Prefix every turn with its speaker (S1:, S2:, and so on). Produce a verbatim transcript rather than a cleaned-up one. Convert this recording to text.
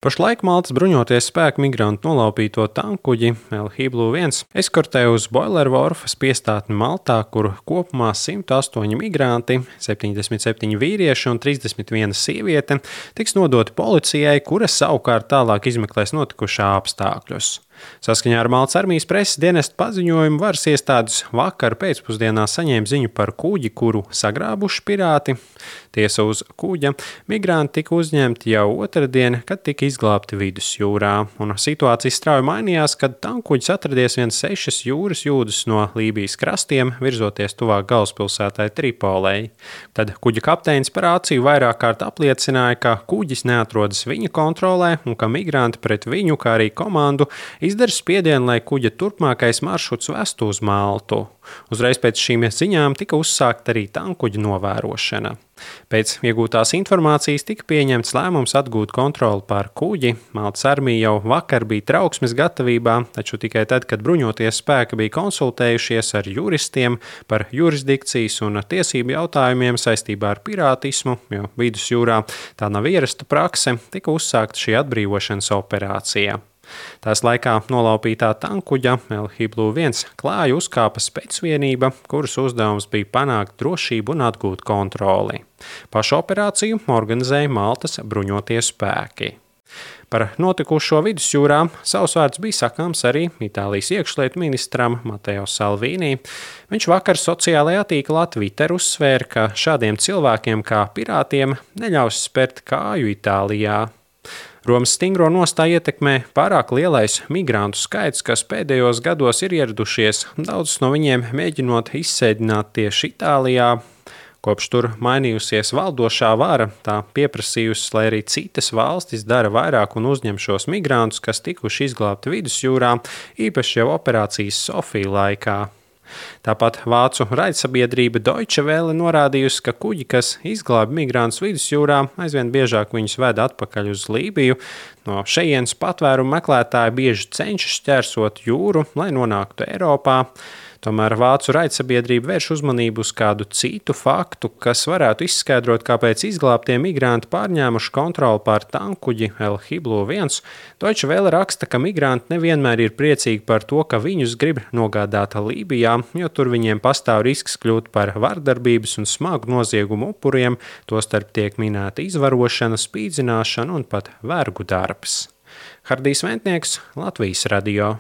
S1: Pašlaik Maltas bruņoties spēku migrantu nolaupīto tankuģi El Hiblu viens eskortē uz Boilervorfas piestātni Maltā, kur kopumā simt astoņi migranti, septiņdesmit septiņi vīrieši un trīsdesmit viena sieviete tiks nodoti policijai, kura savukārt tālāk izmeklēs notikušā apstākļus. Saskaņā ar Maltas armijas preses dienesta paziņojumu varas iestādes vakar pēcpusdienā saņēma ziņu par kuģi, kuru sagrābuši pirāti. Tiesa uz kuģa migranti tika uzņemti jau otrdien, kad tika izglābti vidusjūrā, un situācija strauji mainījās, kad tankuģis atradies vien sešas jūras jūdzes no Lībijas krastiem, virzoties tuvāk galvaspilsētai Tripolei. Tad kuģa kapteinis par acīm vairāk kārt apliecināja, ka kuģis neatrodas viņa kontrolē un ka migranti pret viņu, kā arī komandu, izdara spiedienu, lai kuģa turpmākais maršruts vestu uz Maltu. Uzreiz pēc šīm ziņām tika uzsākta arī tankuģa novērošana. Pēc iegūtās informācijas tika pieņemts lēmums atgūt kontroli pār kuģi. Maltas armija jau vakar bija trauksmes gatavībā, taču tikai tad, kad bruņoties spēki bija konsultējušies ar juristiem par jurisdikcijas un tiesību jautājumiem saistībā ar pirātismu, jo vidusjūrā tā nav ierasta prakse, tika uzsākta šī atbrīvošanas operācija. Tās laikā nolaupītā tankuģa El Hiblu viens klāja uzkāpa specvienība, kuras uzdevums bija panākt drošību un atgūt kontroli. Pašu operāciju organizēja Maltas bruņotie spēki. Par notikušo vidusjūrā savs vārds bija sakāms arī Itālijas iekšlietu ministram Mateo Salvini. Viņš vakar sociālajā tīklā Twitter uzsvēra, ka šādiem cilvēkiem kā pirātiem neļaus spērt kāju Itālijā. Romas stingro nostāju ietekmē pārāk lielais migrantu skaits, kas pēdējos gados ir ieradušies, daudzus no viņiem mēģinot izsēdināt tieši Itālijā. Kopš tur mainījusies valdošā vara, tā pieprasījusi, lai arī citas valstis dara vairāk un uzņem šos migrantus, kas tikuši izglābti vidusjūrā, īpaši jau operācijas Sofija laikā. Tāpat vācu raidsabiedrība Deutsche Welle norādījusi, ka kuģi, kas izglāba migrantus vidusjūrā, aizvien biežāk viņus ved atpakaļ uz Lībiju. No šejienes patvērumu meklētāji bieži cenšas šķērsot jūru, lai nonāktu Eiropā. Tomēr vācu raidsabiedrība vērš uzmanību uz kādu citu faktu, kas varētu izskaidrot, kāpēc izglābtie migranti pārņēmuši kontroli pār tankuģi El Hiblu viens. Deutsche Welle raksta, ka migranti nevienmēr ir priecīgi par to, ka viņus grib nogādāt Lībijā, jo tur viņiem pastāv risks kļūt par vardarbības un smagu noziegumu upuriem, tostarp tiek minēta izvarošana, spīdzināšana un pat vergu darbs. Hardijs Ventnieks, Latvijas radio.